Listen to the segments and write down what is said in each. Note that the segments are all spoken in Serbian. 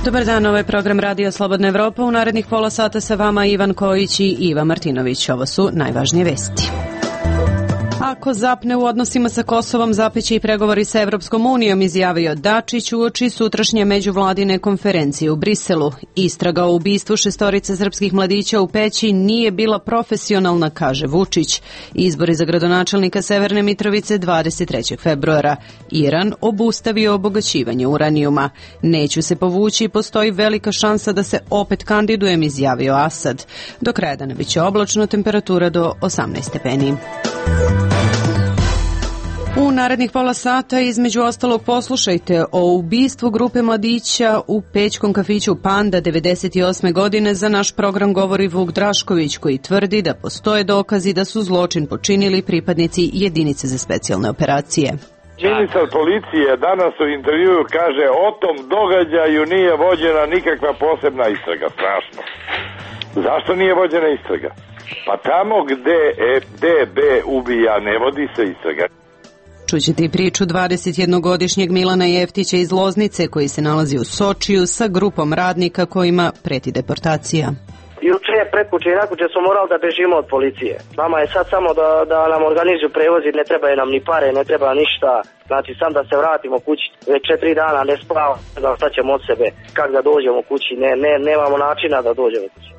Dobar dan, ovo je program Radio Slobodna Evropa. U narednih pola sata sa vama Ivan Kojić i Iva Martinović. Ovo su najvažnije vesti. Ako zapne u odnosima sa Kosovom, zapeće i pregovori sa Evropskom unijom, izjavio Dačić uoči sutrašnje međuvladine konferencije u Briselu. Istraga o ubistvu 6 srpskih mladića u Peći nije bila profesionalna, kaže Vučić. Izbori za gradonačelnika Severne Mitrovice 23. februara. Iran obustavio obogaćivanje uranijuma. Neću se povući, postoji velika šansa da se opet kandidujem, izjavio Asad. Do kraja dana biće oblačno, temperatura do 18 stepeni. U narednih pola sata između ostalog poslušajte o ubistvu grupe mladića u pećkom kafiću Panda 98. godine. Za naš program govori Vuk Drašković, koji tvrdi da postoje dokazi da su zločin počinili pripadnici jedinice za specijalne operacije. Ministar policije danas u intervjuu kaže o tom događaju nije vođena nikakva posebna istraga. Strašno. Zašto nije vođena istraga? Pa tamo gde DB ubija ne vodi se istraga. Čućete i priču 21-godišnjeg Milana Jeftića iz Loznice, koji se nalazi u Sočiju sa grupom radnika kojima preti deportacija. Juče, pretkuće i nakuće smo morali da bežimo od policije. Nama je sad samo da nam organizuju prevozi, ne trebaju nam ni pare, ne treba ništa. Znači sam da se vratimo kući, već 4 dana ne spavamo, da šta ćemo od sebe, kak da dođemo kući, nemamo načina da dođemo kući.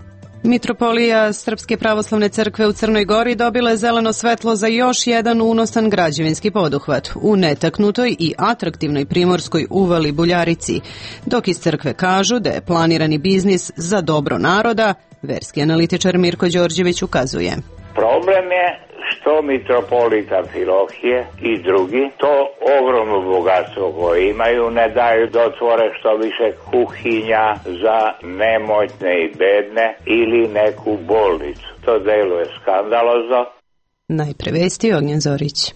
Mitropolija Srpske pravoslavne crkve u Crnoj Gori dobila je zeleno svetlo za još jedan unosan građevinski poduhvat u netaknutoj i atraktivnoj primorskoj uvali Buljarici. Dok iz crkve kažu da je planirani biznis za dobro naroda, verski analitičar Mirko Đorđević ukazuje. Problem je što mitropolita Filohije i drugi to ogromno bogatstvo koje imaju ne daju da otvore što više kuhinja za nemoćne i bedne ili neku bolnicu. To deluje skandalozno. Najpre vesti, Ognjen Zorić.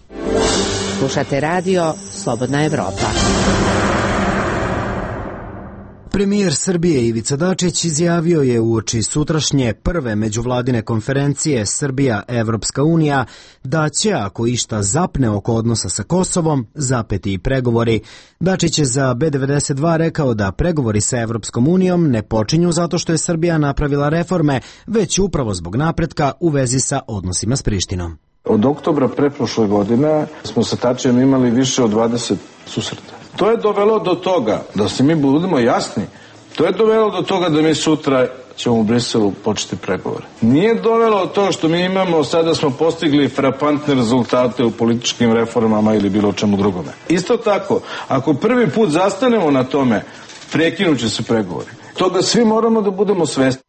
Slušate radio Slobodna Evropa. Premijer Srbije Ivica Dačić izjavio je uoči sutrašnje prve međuvladine konferencije Srbija-Evropska unija da će, ako išta zapne oko odnosa sa Kosovom, zapeti i pregovori. Dačić je za B92 rekao da pregovori sa Evropskom unijom ne počinju zato što je Srbija napravila reforme, već upravo zbog napretka u vezi sa odnosima s Prištinom. Od oktobra preprošle godine smo sa Tačijem imali više od 20 susreta. To je dovelo do toga, da se mi budemo jasni, to je dovelo do toga da mi sutra ćemo u Briselu početi pregovore. Nije dovelo od toga što mi imamo, sada smo postigli frapantne rezultate u političkim reformama ili bilo čemu drugome. Isto tako, ako prvi put zastanemo na tome, prekinuće se pregovori. Toga svi moramo da budemo svesni.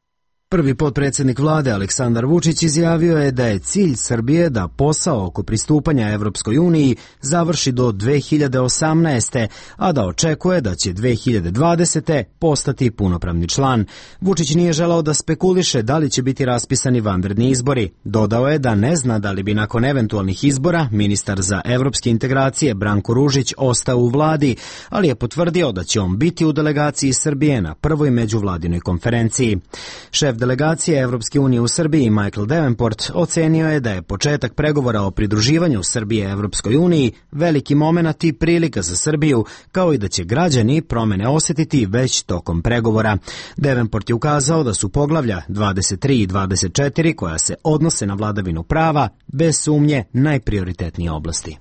Prvi potpredsjednik vlade Aleksandar Vučić izjavio je da je cilj Srbije da posao oko pristupanja Evropskoj uniji završi do 2018. a da očekuje da će 2020. postati punopravni član. Vučić nije želao da spekuliše da li će biti raspisani vanredni izbori. Dodao je da ne zna da li bi nakon eventualnih izbora ministar za evropske integracije Branko Ružić ostao u vladi, ali je potvrdio da će on biti u delegaciji Srbije na prvoj međuvladinoj konferenciji. Šef delegacije Evropske unije u Srbiji Michael Davenport ocenio je da je početak pregovora o pridruživanju Srbije Evropskoj uniji veliki momenat i prilika za Srbiju, kao i da će građani promene osjetiti već tokom pregovora. Davenport je ukazao da su poglavlja 23 i 24 koja se odnose na vladavinu prava bez sumnje najprioritetnije oblasti.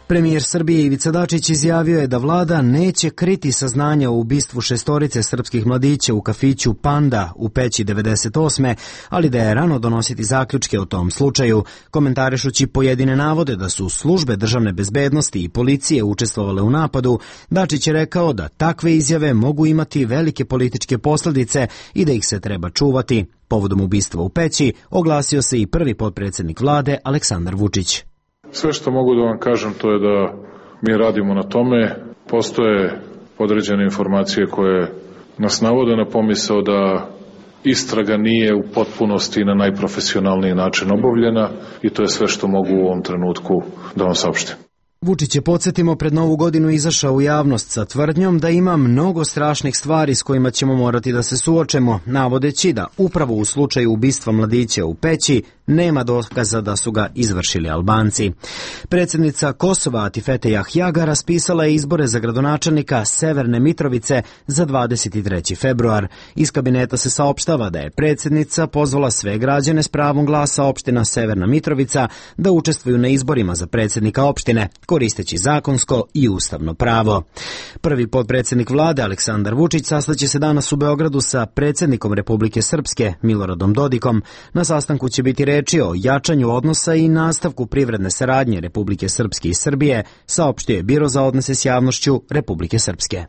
Premijer Srbije Ivica Dačić izjavio je da vlada neće kriti saznanja o ubistvu 6 srpskih mladića u kafiću Panda u Peći 98. ali da je rano donositi zaključke o tom slučaju. Komentarišući pojedine navode da su službe državne bezbednosti i policije učestvovale u napadu, Dačić je rekao da takve izjave mogu imati velike političke posljedice i da ih se treba čuvati. Povodom ubistva u Peći oglasio se i prvi potpredsjednik vlade Aleksandar Vučić. Sve što mogu da vam kažem to je da mi radimo na tome. Postoje određene informacije koje nas navode na pomisao da istraga nije u potpunosti i na najprofesionalniji način obavljena i to je sve što mogu u ovom trenutku da vam saopštim. Vučić je, podsjetimo, pred Novu godinu izašao u javnost sa tvrdnjom da ima mnogo strašnih stvari s kojima ćemo morati da se suočemo, navodeći da upravo u slučaju ubistva mladića u Peći nema dokaza da su ga izvršili Albanci. Predsjednica Kosova Atifete Jahjaga raspisala je izbore za gradonačelnika Severne Mitrovice za 23. februar. Iz kabineta se saopštava da je predsjednica pozvala sve građane s pravom glasa opština Severna Mitrovica da učestvuju na izborima za predsjednika opštine, koristeći zakonsko i ustavno pravo. Prvi potpredsjednik vlade Aleksandar Vučić sastaće se danas u Beogradu sa predsjednikom Republike Srpske Miloradom Dodikom. Na sastanku će biti reči o jačanju odnosa i nastavku privredne saradnje Republike Srpske i Srbije, saopštio je Biro za odnose s javnošću Republike Srpske.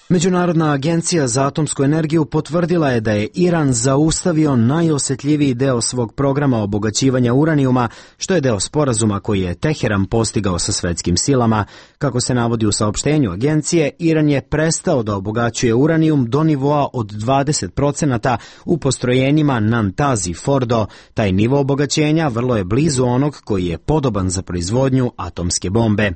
Međunarodna agencija za atomsku energiju potvrdila je da je Iran zaustavio najosjetljiviji deo svog programa obogaćivanja uranijuma, što je deo sporazuma koji je Teheran postigao sa svetskim silama. Kako se navodi u saopštenju agencije, Iran je prestao da obogaćuje uranijum do nivoa od 20% u postrojenjima Nantazi Fordo. Taj nivo obogaćenja vrlo je blizu onog koji je podoban za proizvodnju atomske bombe.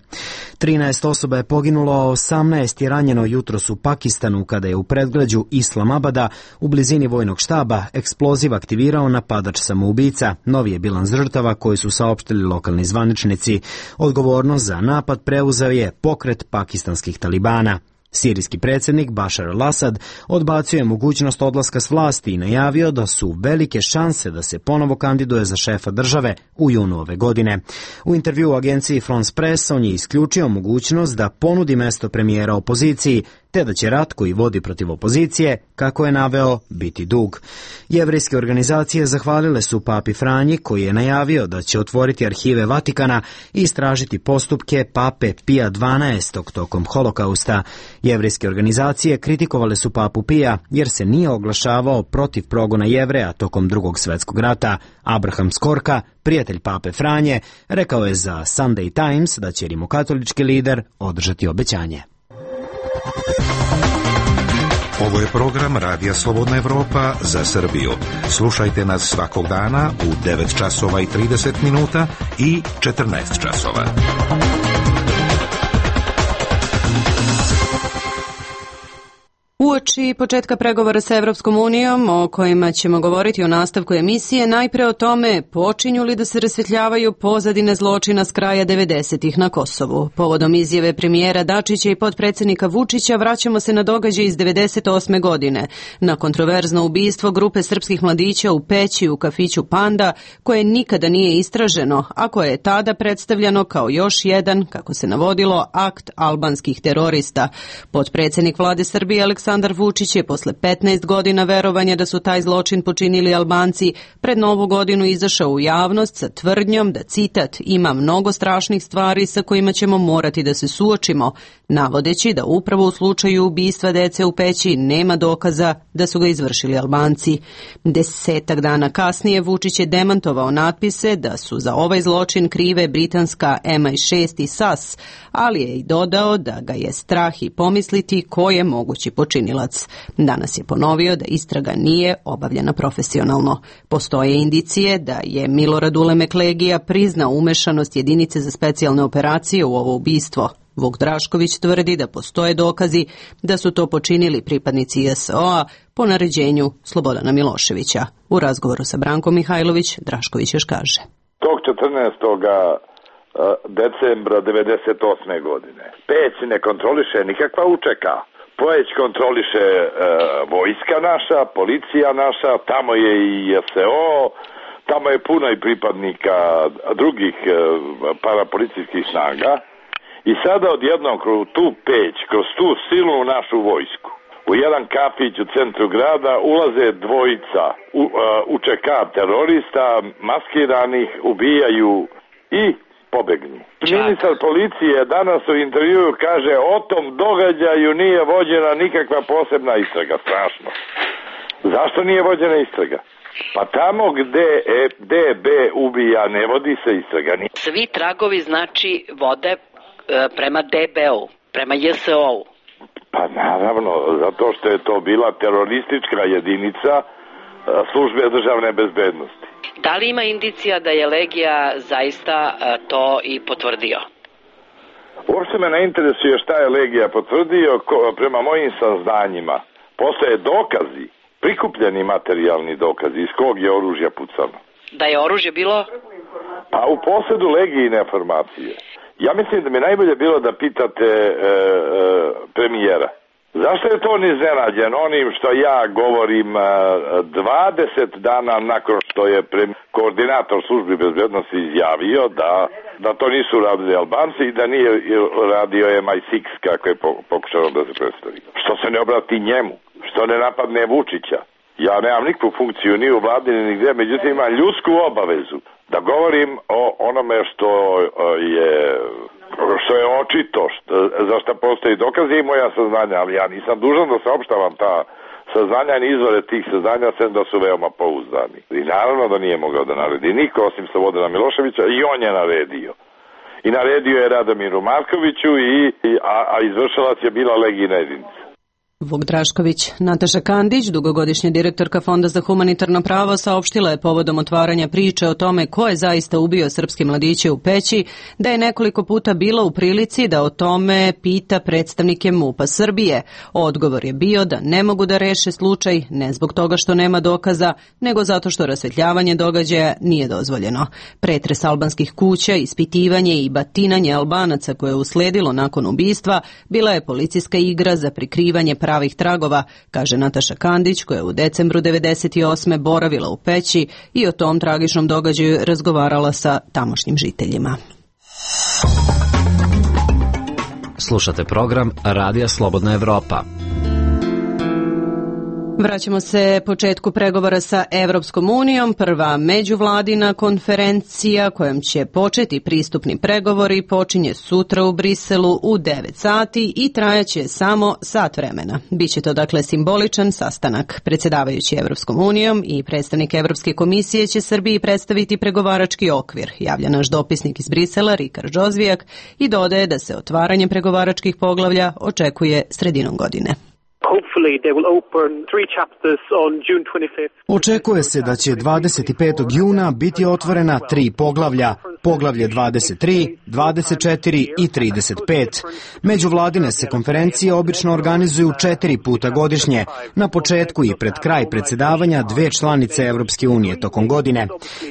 13 osoba je poginulo, a 18 je ranjeno jutros u Pakistanu kada je u predgrađu Islamabada u blizini vojnog štaba eksploziv aktivirao napadač samoubica. Novi je bilans žrtava koji su saopštili lokalni zvaničnici. Odgovornost za napad preuzeo je pokret pakistanskih talibana. Sirijski predsjednik Bašar al-Asad odbacio je mogućnost odlaska s vlasti i najavio da su velike šanse da se ponovo kandiduje za šefa države u junu ove godine. U intervju u agenciji France Press on je isključio mogućnost da ponudi mesto premijera opoziciji, te da će rat koji vodi protiv opozicije, kako je naveo, biti dug. Jevrejske organizacije zahvalile su papi Franji, koji je najavio da će otvoriti arhive Vatikana i istražiti postupke pape Pija XII tokom holokausta. Jevrejske organizacije kritikovale su papu Pija jer se nije oglašavao protiv progona Jevreja tokom Drugog svjetskog rata. Abraham Skorka, prijatelj pape Franje, rekao je za Sunday Times da će rimokatolički lider održati obećanje. Ovo je program Radija Slobodna Evropa za Srbiju. Slušajte nas svakog dana u 9 časova i 30 minuta i 14 časova. Uoči početka pregovora sa Evropskom unijom, o kojima ćemo govoriti u nastavku emisije, najpre o tome počinju li da se rasvetljavaju pozadine zločina s kraja 90-ih na Kosovu. Povodom izjave premijera Dačića i potpredsjednika Vučića vraćamo se na događaj iz 98. godine, na kontroverzno ubistvo grupe srpskih mladića u Peći u kafiću Panda, koje nikada nije istraženo, a koje je tada predstavljano kao još jedan, kako se navodilo, akt albanskih terorista. Potpredsjednik vlade Srbije Aleksandar Vučić je posle 15 godina verovanja da su taj zločin počinili Albanci pred Novu godinu izašao u javnost sa tvrdnjom da, citat, ima mnogo strašnih stvari sa kojima ćemo morati da se suočimo, navodeći da upravo u slučaju ubistva dece u Peći nema dokaza da su ga izvršili Albanci. 10 dana kasnije Vučić je demantovao natpise da su za ovaj zločin krive britanska MI6 i SAS, ali je i dodao da ga je strah i pomisliti ko je mogući počinilac. Danas je ponovio da istraga nije obavljena profesionalno. Postoje indicije da je Milorad Ulemek Legija priznao umešanost jedinice za specijalne operacije u ovo ubistvo. Vuk Drašković tvrdi da postoje dokazi da su to počinili pripadnici JSO-a po naređenju Slobodana Miloševića. U razgovoru sa Brankom Mihajlović, Drašković još kaže. Tog 14. decembra 98. godine Peć ne kontroliše nikakva UČK. Peć kontroliše vojska naša, policija naša, tamo je i JSO, tamo je puno i pripadnika drugih parapolicijskih snaga. I sada odjednom kroz tu Peć, kroz tu silnu našu vojsku, u jedan kafić u centru grada ulaze dvojica UČK terorista, maskiranih, ubijaju i pobegnu. Ministar policije danas u intervjuu kaže o tom događaju nije vođena nikakva posebna istraga. Strašno. Zašto nije vođena istraga? Pa tamo gde DB ubija ne vodi se istraga. Svi tragovi znači vode prema DB-u, prema JSO-u. Pa naravno, zato što je to bila teroristička jedinica službe državne bezbednosti. Da li ima indicija da je Legija zaista to i potvrdio? Uopšte me ne interesuje šta je Legija potvrdio. Prema mojim saznanjima postoje dokazi prikupljeni materijalni dokazi iz kog je oružja pucano? Da je oružje bilo? Pa u posedu legijine informacije. Ja mislim da mi najbolje bilo da pitate premijera. Zašto je to on iznenađen onim što ja govorim 20 dana nakon što je koordinator službi bezbednosti izjavio da to nisu radili Albanci i da nije radio MI6 kako je pokušao da se predstavi. Što se ne obrati njemu? Što ne napadne Vučića? Ja nemam nikakvu funkciju ni u vladi ni nigde, međutim imam ljudsku obavezu da govorim o onome što je očito, za što postoji dokazi i moja saznanja, ali ja nisam dužan da saopštavam ta saznanja ni izvore tih saznanja, sem da su veoma pouzdani. I naravno da nije mogao da naredi niko osim Slobodana Miloševića i on je naredio. I naredio je Radomiru Markoviću, a izvršilac je bila legijna jedinica. Vuk Drašković. Nataša Kandić, dugogodišnja direktorka Fonda za humanitarno pravo, saopštila je povodom otvaranja priče o tome ko je zaista ubio srpske mladiće u Peći, da je nekoliko puta bila u prilici da o tome pita predstavnike MUP-a Srbije. Odgovor je bio da ne mogu da reše slučaj ne zbog toga što nema dokaza, nego zato što rasvetljavanje događaja nije dozvoljeno. Pretres albanskih kuća, ispitivanje i batinanje Albanaca koje je usledilo nakon ubistva bila je policijska igra za prikrivanje pravih tragova, kaže Nataša Kandić, koja je u decembru 1998. boravila u Peći i o tom tragičnom događaju razgovarala sa tamošnjim žiteljima. Slušate program Radija Slobodna Evropa. Vraćamo se početku pregovora sa Evropskom unijom. Prva međuvladina konferencija kojom će početi pristupni pregovori počinje sutra u Briselu u 9 sati i trajaće samo sat vremena. Biće to dakle simboličan sastanak. Predsjedavajući Evropskom unijom i predstavnik Evropske komisije će Srbiji predstaviti pregovarački okvir, javlja naš dopisnik iz Brisela Rikard Žozvijak i dodaje da se otvaranje pregovaračkih poglavlja očekuje sredinom godine. Očekuje se da će 25. juna biti otvorena 3 poglavlja, poglavlje 23, 24 i 35. Međuvladine se konferencije obično organizuju 4 puta godišnje, na početku i pred kraj predsjedavanja 2 članice Evropske unije tokom godine.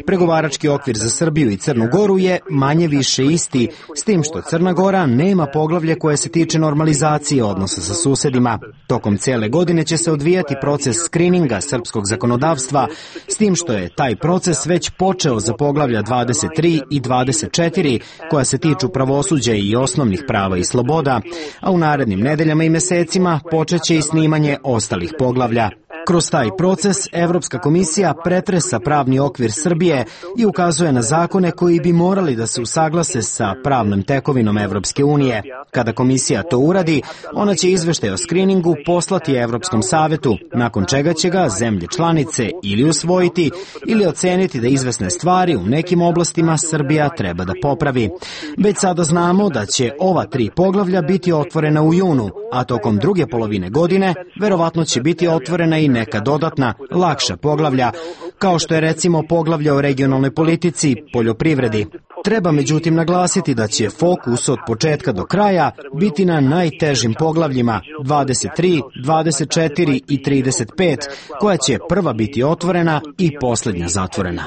Pregovarački okvir za Srbiju i Crnu Goru je manje više isti, s tim što Crna Gora nema poglavlje koje se tiče normalizacije odnosa sa susedima. Tokom cijele godine će se odvijati proces skrininga srpskog zakonodavstva, s tim što je taj proces već počeo za poglavlja 23 i 24, koja se tiču pravosuđa i osnovnih prava i sloboda, a u narednim nedeljama i mesecima počeće i snimanje ostalih poglavlja. Kroz taj proces Evropska komisija pretresa pravni okvir Srbije i ukazuje na zakone koji bi morali da se usaglase sa pravnom tekovinom Evropske unije. Kada komisija to uradi, ona će izveštaj o skriningu poslati Evropskom savetu, nakon čega će ga zemlje članice ili usvojiti ili oceniti da izvesne stvari u nekim oblastima Srbija treba da popravi. Već sada znamo da će ova 3 poglavlja biti otvorena u junu, a tokom druge polovine godine verovatno će biti otvorena i neka dodatna, lakša poglavlja, kao što je recimo poglavlja o regionalnoj politici, poljoprivredi. Treba međutim naglasiti da će fokus od početka do kraja biti na najtežim poglavljima 23, 24 i 35, koja će prva biti otvorena i posljednja zatvorena.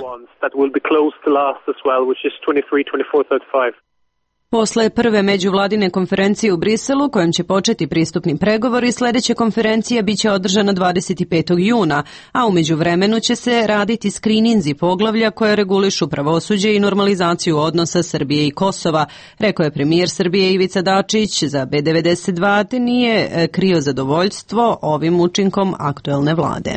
Posle prve međuvladine konferencije u Briselu, kojom će početi pristupni pregovori, sljedeća konferencija biće održana 25. juna, a u međuvremenu će se raditi skrininzi poglavlja koje regulišu pravosuđe i normalizaciju odnosa Srbije i Kosova, rekao je premijer Srbije Ivica Dačić za B92, te nije krio zadovoljstvo ovim učinkom aktuelne vlade.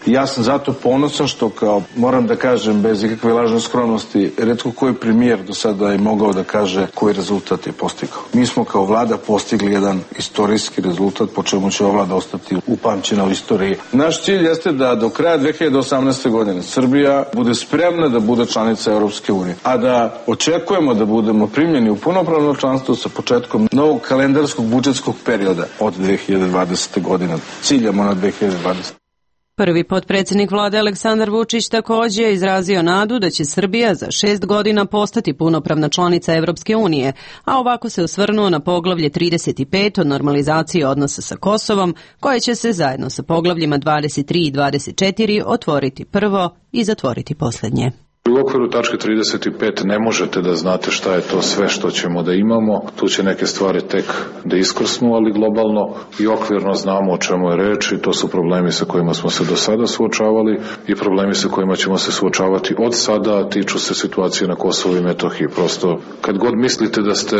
Ja sam zato ponosan što, kao moram da kažem bez ikakve lažne skromnosti, retko koji premijer do sada je mogao da kaže koji rezultat je postigao. Mi smo kao vlada postigli jedan istorijski rezultat, po čemu će ova vlada ostati upamćena u istoriji. Naš cilj jeste da do kraja 2018. godine Srbija bude spremna da bude članica Europske unije, a da očekujemo da budemo primljeni u punopravno članstvo sa početkom novog kalendarskog budžetskog perioda od 2020. godine. Ciljamo na 2020. Prvi potpredsjednik vlade Aleksandar Vučić također je izrazio nadu da će Srbija za 6 godina postati punopravna članica Evropske unije, a ovako se osvrnuo na poglavlje 35 o normalizaciji odnosa sa Kosovom, koje će se zajedno sa poglavljima 23 i 24 otvoriti prvo i zatvoriti posljednje. U okviru tačke 35 ne možete da znate šta je to sve što ćemo da imamo. Tu će neke stvari tek da iskrsnu, ali globalno i okvirno znamo o čemu je reč i to su problemi sa kojima smo se do sada suočavali i problemi sa kojima ćemo se suočavati od sada, a tiču se situacije na Kosovu i Metohiji. Prosto, kad god mislite da ste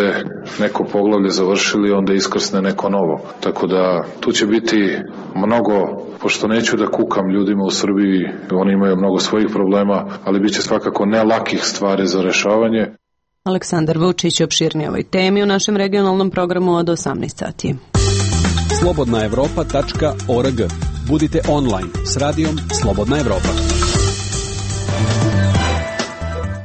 neko poglavlje završili, onda iskrsne neko novo. Tako da tu će biti mnogo, pošto neću da kukam ljudima u Srbiji, oni imaju mnogo svojih problema, ali bit će svakako ne lakih stvari za rešavanje. Aleksandar Vučić opširnije ovoj temi u našem regionalnom programu od 18 sati. slobodnaevropa.org. Budite online s radijom Slobodna Evropa.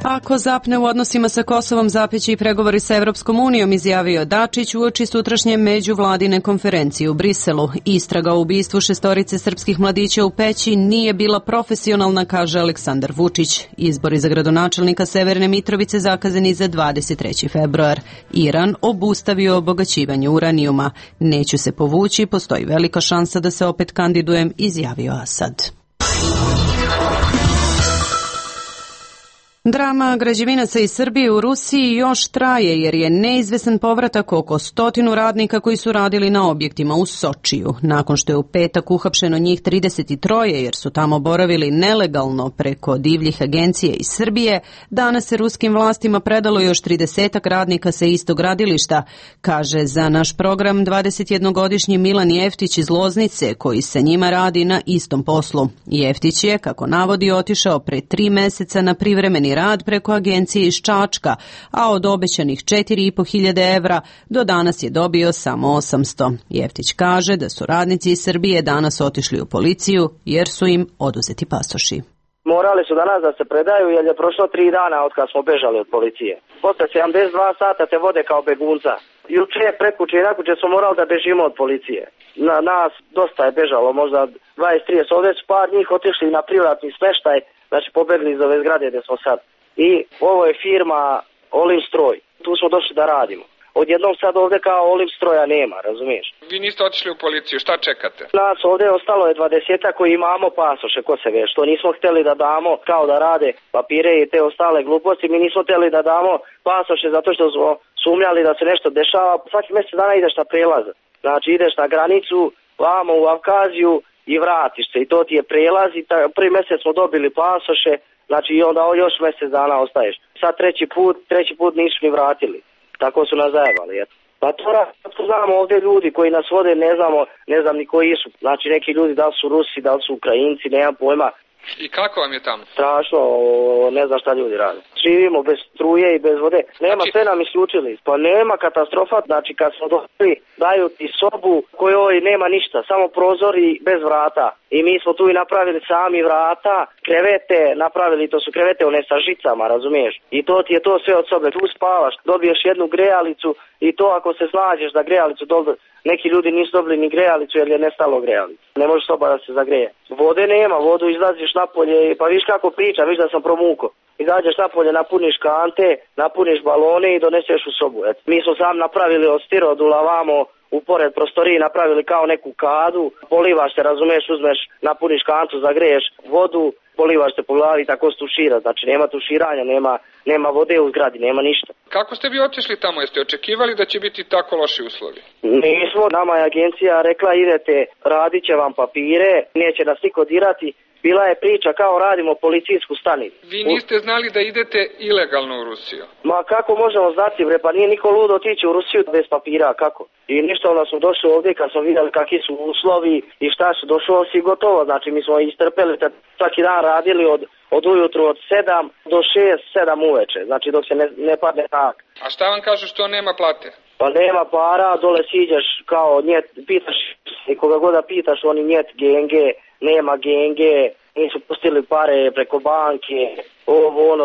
Ako zapne u odnosima sa Kosovom, zapeći i pregovori sa Evropskom unijom, izjavio Dačić uoči sutrašnje međuvladine konferencije u Briselu. Istraga o ubistvu 6 srpskih mladića u Peći nije bila profesionalna, kaže Aleksandar Vučić. Izbori za gradonačelnika Severne Mitrovice zakazani za 23. februar. Iran obustavio obogaćivanje uranijuma. Neću se povući, postoji velika šansa da se opet kandidujem, izjavio Asad. Drama građevinaca iz Srbije u Rusiji još traje jer je neizvesan povratak oko 100 radnika koji su radili na objektima u Sočiju. Nakon što je u petak uhapšeno njih 33 jer su tamo boravili nelegalno preko divljih agencije iz Srbije, danas se ruskim vlastima predalo još 30 radnika sa istog gradilišta, kaže za naš program 21-godišnji Milan Jeftić iz Loznice koji sa njima radi na istom poslu. Jeftić je, kako navodi, otišao pre 3 meseca na privremeni rad preko agencije iz Čačka, a od obećanih 4.500 evra do danas je dobio samo 800. Jeftić kaže da su radnici iz Srbije danas otišli u policiju jer su im oduzeti pasoši. Morali su danas da se predaju jer je prošlo 3 dana od kad smo bežali od policije. Posle 72 sata te vode kao begunca. Juče, prekuće i nakuće smo morali da bežimo od policije. Nas dosta je bežalo, možda 20-30, ovdje su par njih otišli na privatni smeštaj, znači pobegli iz ove zgrade gdje smo sad. I ovo je firma Olim Stroj, tu smo došli da radimo. Odjednom sad ovdje kao Olim Stroja nema, razumiješ? Vi niste otišli u policiju, šta čekate? Nas ovdje ostalo je 20 koji imamo pasoše, ko se ve, što nismo htjeli da damo kao da rade papire i te ostale gluposti, mi nismo htjeli da damo pasoše zato što smo sumnjali da se nešto dešava. Svaki mjesec dana ideš na prelaz, znači ideš na granicu, vamo u Avkaziju i vratiš se i to ti je prelaz i prvi mjesec smo dobili pasoše, znači i onda još mjesec dana ostaješ. Sad treći put nisu ni vratili. Tako su nas zajebali, eto. Pa to znamo ovdje ljudi koji nas vode, ne znam ni koji su. Znači neki ljudi, da li su Rusi, da li su Ukrajinci, nemam pojma. I kako vam je tamo? Strašno, ne znam šta ljudi rade. Živimo bez struje i bez vode. Nema, sve nam isključili. Pa nema katastrofa, znači kad smo došli, daju ti sobu kojoj nema ništa, samo prozor i bez vrata. I mi smo tu i napravili sami vrata, krevete, napravili, to su krevete one sa žicama, razumiješ? I to ti je to sve od sobe. Tu spavaš, dobiješ jednu grejalicu i to ako se snađeš da grejalicu dobiješ. Neki ljudi nisu dobili ni grejalicu jer je nestalo grejalicu. Ne može soba da se zagreje. Vode nema, vodu izlaziš napolje, pa viš kako priča, viš da sam promuko. Izađeš napolje, napuniš kante, napuniš balone i doneseš u sobu. Et. Mi smo sam napravili od stirodula vamo u pored prostoriji, napravili kao neku kadu, polivaš se, razumiješ, uzmeš, napuniš kantu, zagreješ vodu, polivaš se po glavi, tako se tušira. Znači nema tuširanja, nema vode u zgradi, nema ništa. Kako ste vi otišli tamo? Jeste očekivali da će biti tako loši uslovi? Nismo, nama je agencija rekla idete, radit će vam papire, neće nas niko dirati. Bila je priča kao radimo policijsku stanicu. Vi niste znali da idete ilegalno u Rusiju? Ma kako možemo znati, bre, pa nije niko ludo otići u Rusiju bez papira, kako? I ništa, onda smo došli ovdje kad smo vidjeli kakvi su uslovi i šta su, došlo si gotovo, znači mi smo istrpeli, svaki dan radili od ujutru od 7 do 6-7 uveče, znači dok se ne padne tak. A šta vam kažu što nema plate? Pa nema para, dole siđeš kao njet, pitaš i koga god da pitaš, oni njet genge, nema genge, nisu pustili pare preko banke,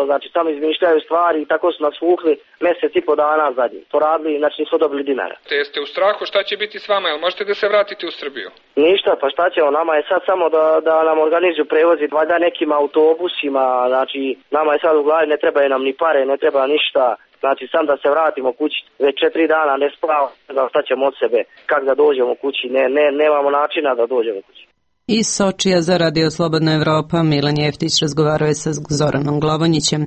znači samo izmišljaju stvari i tako su nas vukli mjesec i po dana zadnji. To radili, znači nisu dobili dinara. Te jeste u strahu šta će biti s vama, jel možete da se vratite u Srbiju? Ništa, pa šta ćemo, nama je sad samo da nam organizuju prevozi, valjda nekim autobusima, znači nama je sad u glavi, ne trebaju nam ni pare, ne treba ništa. Znači sam da se vratimo kući, već 4 dana ne spavamo, šta ćemo od sebe, kak da dođemo kući, nemamo načina da dođemo kući. Iz Sočija za Radio Slobodna Evropa Milan Jeftić razgovarao je sa Zoranom Glavonjićem.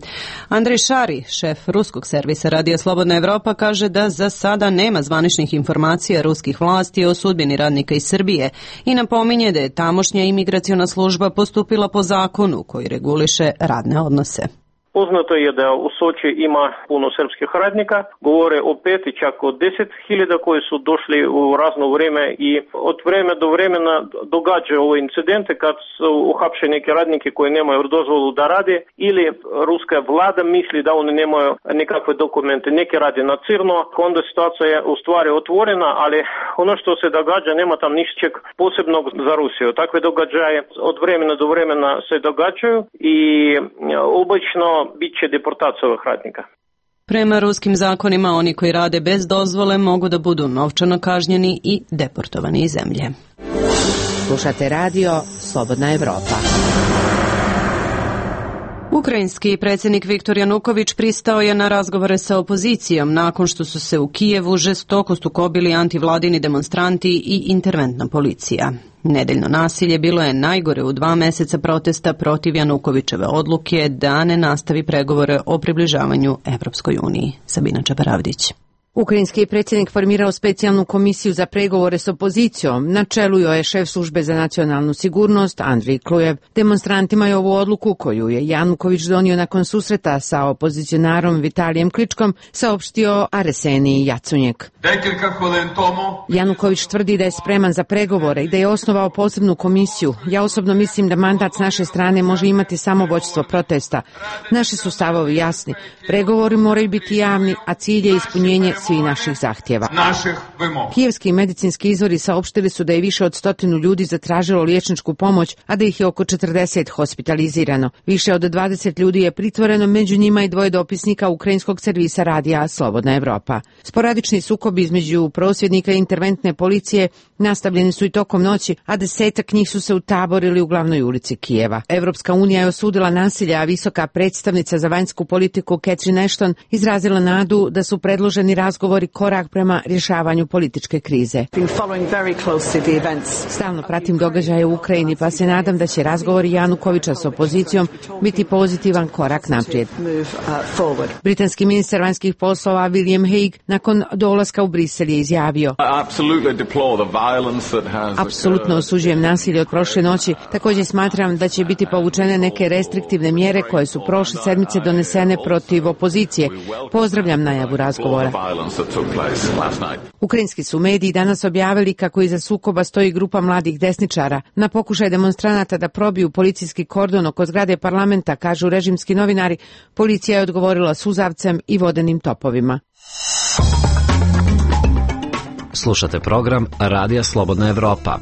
Andrej Šari, šef ruskog servisa Radio Slobodna Evropa, kaže da za sada nema zvaničnih informacija ruskih vlasti o sudbini radnika iz Srbije i napominje da je tamošnja imigraciona služba postupila po zakonu koji reguliše radne odnose. Poznato je da u Soči ima puno srpskih radnika, govore o 5 i čak o 10.000 koji su došli u razno vrijeme i od vremena do vremena događaju ove incidente kad su uhapšeni neki radniki koji nemaju dozvolu da rade ili ruska vlada misli da oni nemaju nikakve dokumente, neki radi na crno, onda situacija je u stvari otvorena, ali ono što se događa nema tam ničeg posebnog za Rusiju. Takve događaje od vremena do vremena se događaju i obično bit će deportacija ovih radnika. Prema ruskim zakonima, oni koji rade bez dozvole mogu da budu novčano kažnjeni i deportovani iz zemlje. Slušate radio Slobodna Evropa. Ukrajinski predsjednik Viktor Januković pristao je na razgovore sa opozicijom nakon što su se u Kijevu žestoko sukobili antivladini demonstranti i interventna policija. Nedeljno nasilje bilo je najgore u 2 meseca protesta protiv Janukovićeve odluke da ne nastavi pregovore o približavanju Evropskoj uniji. Sabina Čaparavdić. Ukrajinski predsjednik formirao specijalnu komisiju za pregovore s opozicijom. Na čelu joj je šef službe za nacionalnu sigurnost Andrij Klujev. Demonstrantima je ovu odluku, koju je Januković donio nakon susreta sa opozicionarom Vitalijem Kličkom, saopštio Arsenij Jacunjek. Januković tvrdi da je spreman za pregovore i da je osnovao posebnu komisiju. Ja osobno mislim da mandat s naše strane može imati samo vođstvo protesta. Naši su stavovi jasni. Pregovori moraju biti javni, a cilj je ispunjenje svih naših zahtjeva. Kijevski medicinski izvori saopštili su da je više od 100 ljudi zatražilo liječničku pomoć, a da ih je oko 40 hospitalizirano. Više od 20 ljudi je pritvoreno, među njima i 2 dopisnika ukrajinskog servisa radija Slobodna Evropa. Sporadični sukobi između prosvjednika i interventne policije nastavljeni su i tokom noći, a 10 njih su se utaborili u glavnoj ulici Kijeva. Evropska unija je osudila nasilje, a visoka predstavnica za vanjsku politiku Catherine Ashton izrazila nadu da su predloženi razgovori korak prema rješavanju političke krize. Stalno pratim događaje u Ukrajini, pa se nadam da će razgovori Janukovića s opozicijom biti pozitivan korak naprijed. Britanski ministar vanjskih poslova William Hague nakon dolaska u Brisel je izjavio: apsolutno osuđujem nasilje od prošle noći, također smatram da će biti povučene neke restriktivne mjere koje su prošle sedmice donesene protiv opozicije. Pozdravljam najavu razgovora. Ukrajinski su mediji danas objavili kako iza sukoba stoji grupa mladih desničara. Na pokušaj demonstranata da probiju policijski kordon oko zgrade parlamenta, kažu režimski novinari, policija je odgovorila suzavcem i vodenim topovima. Slušate program Radija Slobodna Evropa.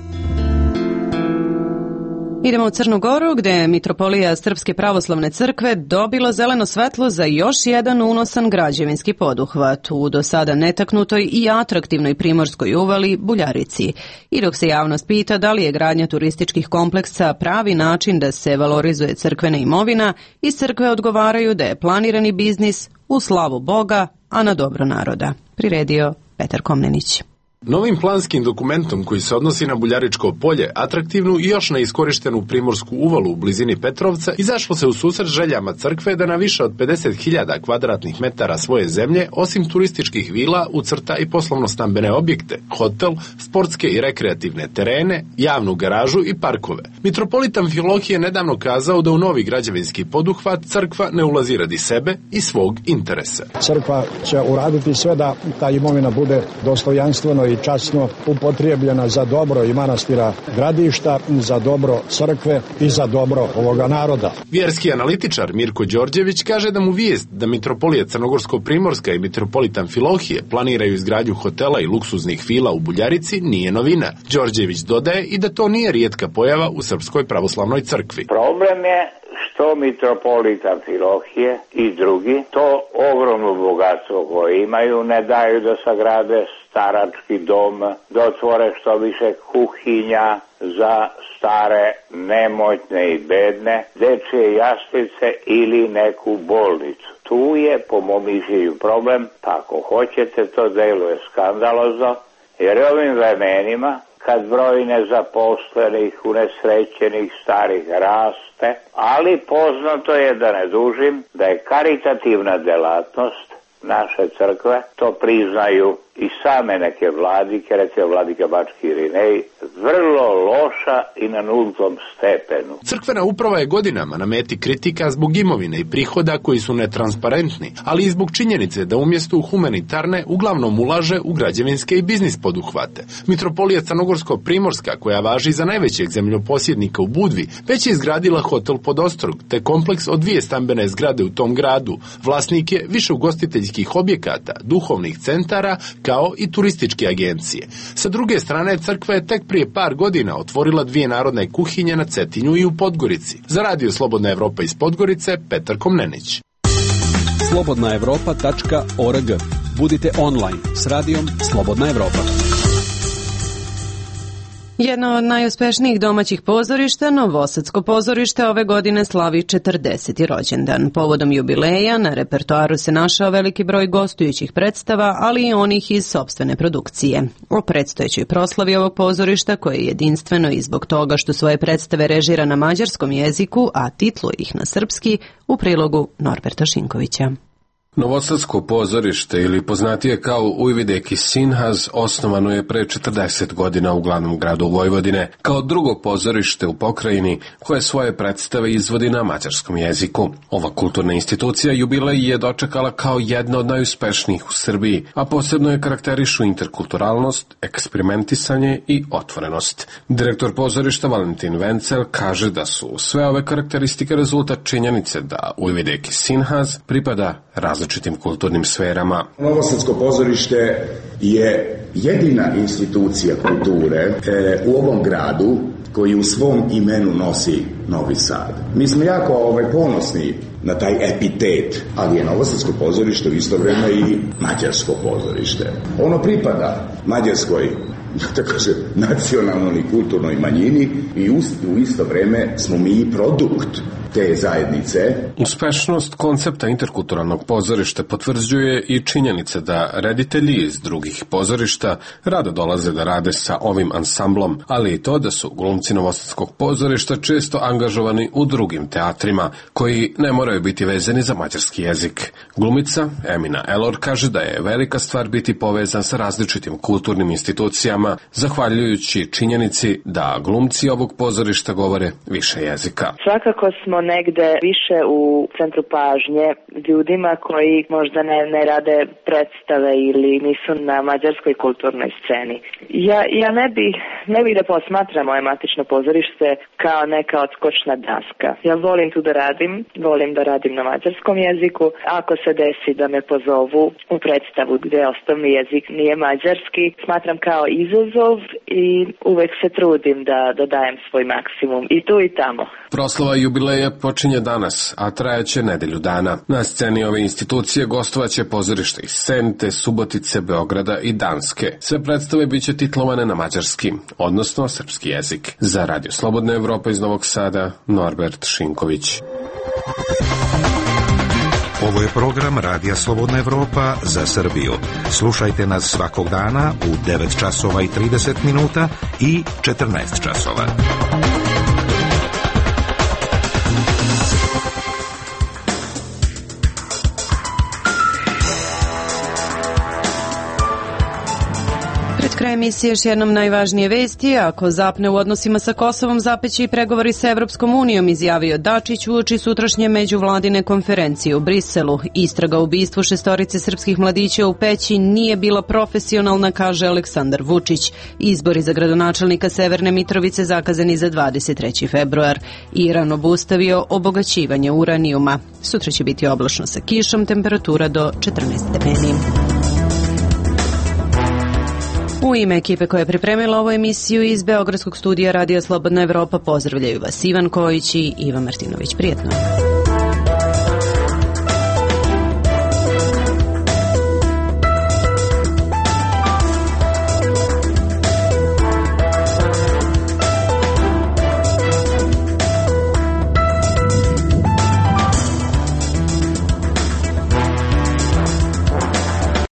Idemo u Crnu Goru, gdje je Mitropolija Srpske pravoslavne crkve dobila zeleno svetlo za još jedan unosan građevinski poduhvat u do sada netaknutoj i atraktivnoj primorskoj uvali Buljarici. I dok se javnost pita da li je gradnja turističkih kompleksa pravi način da se valorizuje crkvena imovina, iz crkve odgovaraju da je planirani biznis u slavu Boga, a na dobro naroda. Priredio Petar Komnenić. Novim planskim dokumentom koji se odnosi na Buljaričko polje, atraktivnu i još neiskorištenu primorsku uvalu u blizini Petrovca, izašlo se u susret željama crkve da na više od 50.000 kvadratnih metara svoje zemlje, osim turističkih vila, ucrta i poslovno-stambene objekte, hotel, sportske i rekreativne terene, javnu garažu i parkove. Mitropolit Amfilohije je nedavno kazao da u novi građevinski poduhvat crkva ne ulazi radi sebe i svog interesa. Crkva će uraditi sve da ta imovina bude dostojanstveno i časno upotrijebljena za dobro i manastira gradišta, za dobro crkve i za dobro ovoga naroda. Vjerski analitičar Mirko Đorđević kaže da mu vijest da Mitropolija Crnogorsko-Primorska i Mitropolit Amfilohije planiraju izgradnju hotela i luksuznih vila u Buljarici nije novina. Đorđević dodaje i da to nije rijetka pojava u Srpskoj pravoslavnoj crkvi. Problem je što mitropolita Amfilohije i drugi, to ogromno bogatstvo koje imaju ne daju da sagrade starački dom, da otvore što više kuhinja za stare, nemoćne i bedne, dečje jaslice ili neku bolnicu. Tu je, po mom mišljenju, problem, pa ako hoćete, to deluje skandalozno, jer ovim vremenima, kad broj nezaposlenih, unesrećenih, starih raste, ali poznato je, da ne dužim, da je karitativna delatnost naše crkve, to priznaju i same neke vladike, recimo vladika Bački Irinej, vrlo loša i na nultom stepenu. Crkvena uprava je godinama na meti kritika zbog imovine i prihoda koji su netransparentni, ali i zbog činjenice da umjesto u humanitarne uglavnom ulaže u građevinske i biznis poduhvate. Mitropolija Crnogorsko-Primorska, koja važi za najvećeg zemljoposjednika u Budvi, već je izgradila hotel Podostrog, te kompleks od 2 stambene zgrade u tom gradu. Vlasnik je više ugostiteljskih objekata, duhovnih centara, kao i turističke agencije. Sa druge strane, crkva je tek prije par godina otvorila 2 narodne kuhinje na Cetinju i u Podgorici. Za Radio Slobodna Evropa iz Podgorice, Petar Komnenić. slobodnaevropa.org. Budite online s radijom Slobodna Evropa. Jedno od najuspešnijih domaćih pozorišta, Novosadsko pozorište, ove godine slavi 40. rođendan. Povodom jubileja na repertoaru se našao veliki broj gostujućih predstava, ali i onih iz sopstvene produkcije. O predstojećoj proslavi ovog pozorišta, koje je jedinstveno i zbog toga što svoje predstave režira na mađarskom jeziku, a titluje ih na srpski, u prilogu Norberta Šinkovića. Novosadsko pozorište, ili poznatije kao Ujvideki Sinhaz, osnovano je pre 40 godina u glavnom gradu Vojvodine, kao drugo pozorište u pokrajini koje svoje predstave izvodi na mađarskom jeziku. Ova kulturna institucija jubilej je dočekala kao jedna od najuspešnijih u Srbiji, a posebno je karakterišu interkulturalnost, eksperimentisanje i otvorenost. Direktor pozorišta Valentin Vencel kaže da su sve ove karakteristike rezultat činjenice da Ujvideki Sinhaz pripada različitim kulturnim sferama. Novosadsko pozorište je jedina institucija kulture u ovom gradu koji u svom imenu nosi Novi Sad. Mi smo jako ponosni na taj epitet, ali je Novosadsko pozorište u isto vreme i mađarsko pozorište. Ono pripada mađarskoj, tako se, nacionalnoj i kulturnoj manjini i u isto vreme smo mi produkt te zajednice. Uspešnost koncepta interkulturalnog pozorišta potvrđuje i činjenica da reditelji iz drugih pozorišta rado dolaze da rade sa ovim ansamblom, ali i to da su glumci Novosadskog pozorišta često angažovani u drugim teatrima, koji ne moraju biti vezani za mađarski jezik. Glumica Emina Elor kaže da je velika stvar biti povezan sa različitim kulturnim institucijama, zahvaljujući činjenici da glumci ovog pozorišta govore više jezika. Svakako smo negde više u centru pažnje ljudima koji možda ne rade predstave ili nisu na mađarskoj kulturnoj sceni. Ja ne bih da posmatram moje matično pozorište kao neka odskočna daska. Ja volim tu da volim da radim na mađarskom jeziku. Ako se desi da me pozovu u predstavu gde osnovni jezik nije mađarski, smatram kao izazov i uvek se trudim da dajem svoj maksimum i tu i tamo. Proslava jubileja počinje danas, a trajaće nedelju dana. Na sceni ove institucije gostovaće pozorište iz Sente, Subotice, Beograda i Danske. Sve predstave biće titlovane na mađarski, odnosno srpski jezik. Za Radio Slobodna Evropa iz Novog Sada, Norbert Šinković. Ovo je program Radija Slobodna Evropa za Srbiju. Slušajte nas svakog dana u 9 časova i 30 minuta i 14 časova. Kraj emisije još jednom najvažnije vesti. Ako zapne u odnosima sa Kosovom, zapeći i pregovori sa Evropskom unijom, izjavio Dačić uoči sutrašnje međuvladine konferencije u Briselu. Istraga o ubistvu 6 srpskih mladića u Peći nije bila profesionalna, kaže Aleksandar Vučić. Izbori za gradonačelnika Severne Mitrovice zakazani za 23. februar. Iran obustavio obogaćivanje uranijuma. Sutra će biti oblačno sa kišom, temperatura do 14 stepeni. U ime ekipe koja je pripremila ovu emisiju iz Beogradskog studija Radija Slobodna Evropa pozdravljaju vas Ivan Kojić i Iva Martinović. Prijetno.